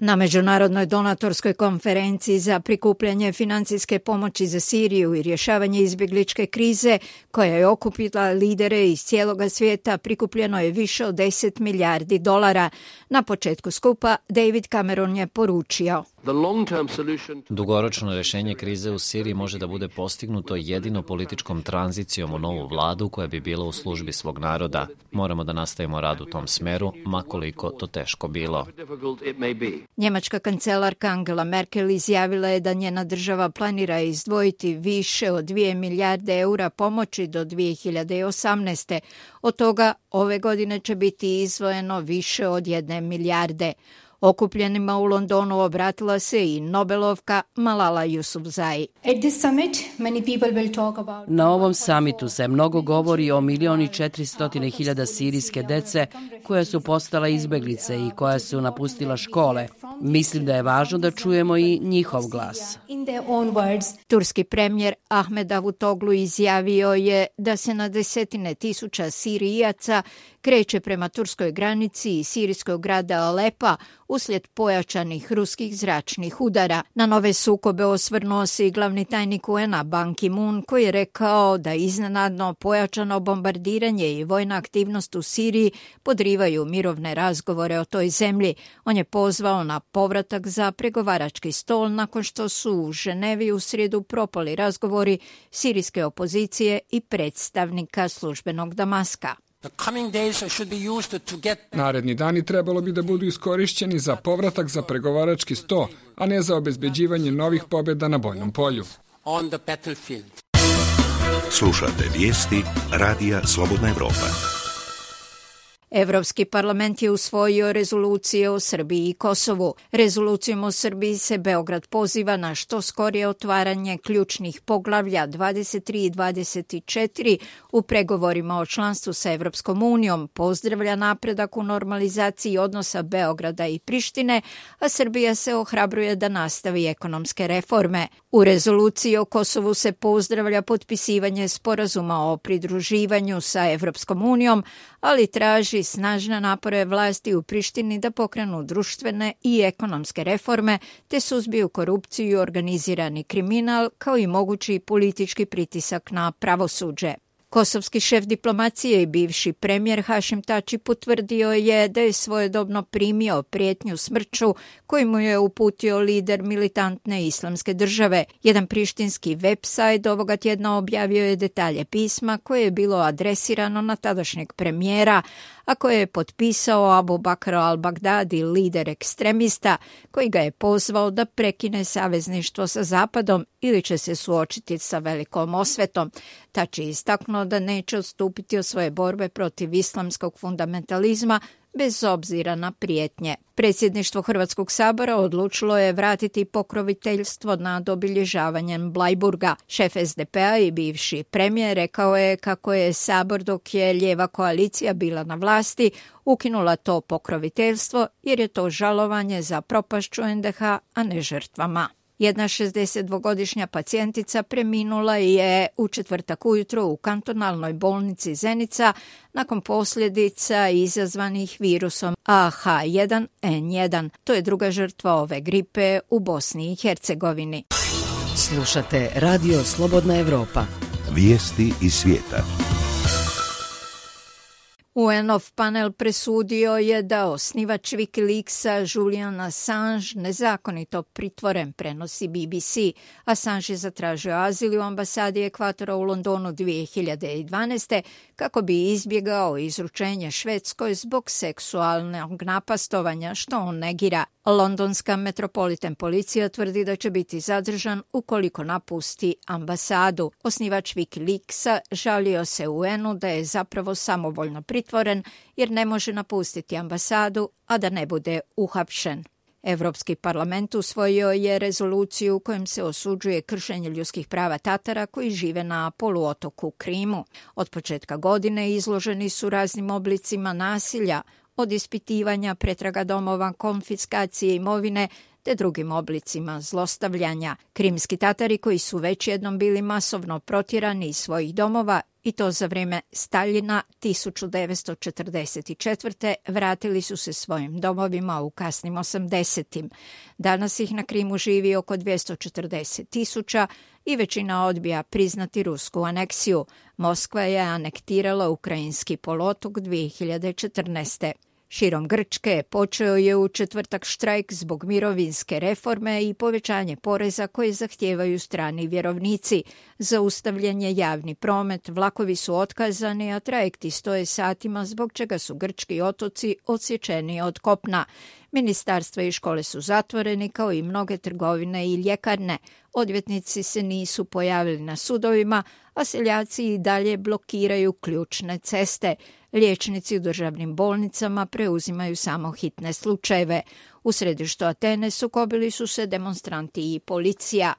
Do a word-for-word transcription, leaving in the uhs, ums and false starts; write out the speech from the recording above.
Na međunarodnoj donatorskoj konferenciji za prikupljanje financijske pomoći za Siriju i rješavanje izbjegličke krize, koja je okupila lidere iz cijeloga svijeta, prikupljeno je više od deset milijardi dolara. Na početku skupa David Cameron je poručio: Dugoročno rješenje krize u Siriji može da bude postignuto jedino političkom tranzicijom u novu vladu koja bi bila u službi svog naroda. Moramo da nastavimo rad u tom smeru, makoliko to teško bilo. Njemačka kancelarka Angela Merkel izjavila je da njena država planira izdvojiti više od dvije milijarde eura pomoći do dvije hiljade osamnaeste. Od toga ove godine će biti izdvojeno više od jedne milijarde. Okupljenima u Londonu obratila se i Nobelovka Malala Yousafzai. Na ovom samitu se mnogo govori o milion i četiristotine hiljada sirijske dece koja su postala izbeglice i koja su napustila škole. Mislim da je važno da čujemo i njihov glas. Turski premijer Ahmed Davutoglu izjavio je da se na desetine tisuća Sirijaca kreće prema turskoj granici i sirijskog grada Alepa uslijed pojačanih ruskih zračnih udara. Na nove sukobe osvrnuo se i glavni tajnik U N-a Ban Ki-moon, koji je rekao da iznenadno pojačano bombardiranje i vojna aktivnost u Siriji podrivaju mirovne razgovore o toj zemlji. On je pozvao na povratak za pregovarački stol nakon što su u Ženevi u srijedu propali razgovori sirijske opozicije i predstavnika službenog Damaska. Naredni dani trebalo bi da budu iskorišćeni za povratak za pregovarački sto, a ne za obezbeđivanje novih pobjeda na bojnom polju. Slušate vijesti Radija Slobodna Evropa. Evropski parlament je usvojio rezolucije o Srbiji i Kosovu. Rezolucijom o Srbiji se Beograd poziva na što skorije otvaranje ključnih poglavlja dvadeset tri i dvadeset četiri u pregovorima o članstvu sa Evropskom unijom, pozdravlja napredak u normalizaciji odnosa Beograda i Prištine, a Srbija se ohrabruje da nastavi ekonomske reforme. U rezoluciji o Kosovu se pozdravlja potpisivanje sporazuma o pridruživanju sa Evropskom unijom, ali traži snažne napore vlasti u Prištini da pokrenu društvene i ekonomske reforme te suzbiju korupciju i organizirani kriminal, kao i mogući politički pritisak na pravosuđe. Kosovski šef diplomacije i bivši premijer Hašim Tači potvrdio je da je svojedobno primio prijetnju smrću koju mu je uputio lider militantne islamske države. Jedan prištinski website ovoga tjedna objavio je detalje pisma koje je bilo adresirano na tadašnjeg premijera, a koje je potpisao Abu Bakr al-Baghdadi, lider ekstremista, koji ga je pozvao da prekine savezništvo sa Zapadom ili će se suočiti sa velikom osvetom. Tači je istaknuo da neće odstupiti od svoje borbe protiv islamskog fundamentalizma bez obzira na prijetnje. Predsjedništvo Hrvatskog sabora odlučilo je vratiti pokroviteljstvo nad obilježavanjem Blajburga. Šef S D P-a i bivši premijer rekao je kako je Sabor, dok je lijeva koalicija bila na vlasti, ukinula to pokroviteljstvo jer je to žalovanje za propašću N D H, a ne žrtvama. Jedna šezdesetdvogodišnja pacijentica preminula je u četvrtak ujutro u kantonalnoj bolnici Zenica nakon posljedica izazvanih virusom A H jedan N jedan. To je druga žrtva ove gripe u Bosni i Hercegovini. Slušate Radio Slobodna Evropa. Vijesti iz svijeta. U N-ov panel presudio je da osnivač Wikileaksa Julian Assange nezakonito pritvoren, prenosi B B C. Assange je zatražio azil u ambasadi Ekvatora u Londonu dvije hiljade dvanaeste kako bi izbjegao izručenje Švedskoj zbog seksualnog napastovanja, što on negira. Londonska Metropolitan policija tvrdi da će biti zadržan ukoliko napusti ambasadu. Osnivač Wikileaksa žalio se U N-u da je zapravo samovoljno pritvoren jer ne može napustiti ambasadu, a da ne bude uhapšen. Evropski parlament usvojio je rezoluciju u kojem se osuđuje kršenje ljudskih prava Tatara koji žive na poluotoku Krimu. Od početka godine izloženi su raznim oblicima nasilja, od ispitivanja, pretraga domova, konfiskacije imovine te drugim oblicima zlostavljanja. Krimski Tatari, koji su već jednom bili masovno protjerani iz svojih domova i to za vreme Staljina tisuću devetsto četrdeset četvrte vratili su se svojim domovima u kasnim osamdesetim. Danas ih na Krimu živi oko dvjesto četrdeset tisuća i većina odbija priznati rusku aneksiju. Moskva je anektirala ukrajinski poluotok dvije hiljade četrnaeste. Širom Grčke počeo je u četvrtak štrajk zbog mirovinske reforme i povećanje poreza koje zahtijevaju strani vjerovnici. Zaustavljen je javni promet, vlakovi su otkazani, a trajekti stoje satima zbog čega su grčki otoci odsječeni od kopna. Ministarstva i škole su zatvoreni kao i mnoge trgovine i ljekarne. Odvjetnici se nisu pojavili na sudovima, a seljaci i dalje blokiraju ključne ceste. Liječnici u državnim bolnicama preuzimaju samo hitne slučajeve. U središtu Atene sukobili su se demonstranti i policija.